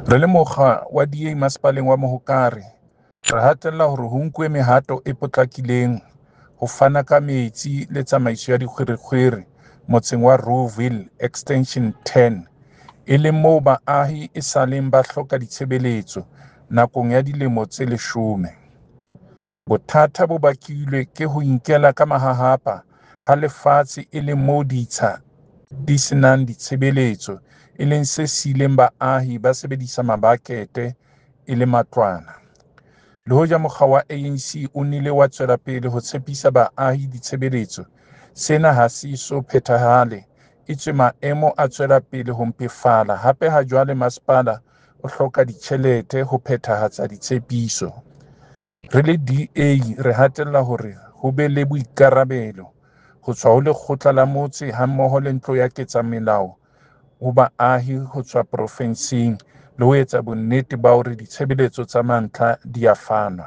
Re le mokga wa DA Masepaleng wa Mohokare, re hatella hore ho nkuwe mehato e potlakileng ho fana ka metsi le tsamaiso ya dikgwerekgwere motseng wa Rouxville Extension 10, e leng moo baahi e saleng ba hloka ditshebeletso nakong ya dilemo tse 10. Bothata bo bakilwe ke ho inkela ka mahahapa ha lefatshe e leng moo ditsha di se nang ditshebeletso e leng se siileng baahi ba sebedisa mabakete e le matlwana. Le hoja mokga wa ANC o nnile wa tswela pele ho tshepisa baahi ditshebeletso, sena ha se eso phethahale etswe maemo a tswela pele ho mpefala hape hajwale masepala o hloka ditjhelete ho phethahatsa ditshepiso. Re le DA re hatella hore ho be le boikarabelo ho tswa ho lekgotla la motse hammoho le ntlo ya ketsamelao ho baahi ho tswa porofenseng le ho etsa bonnete ba hore ditshebeletso tsa mantlha di a fanwa.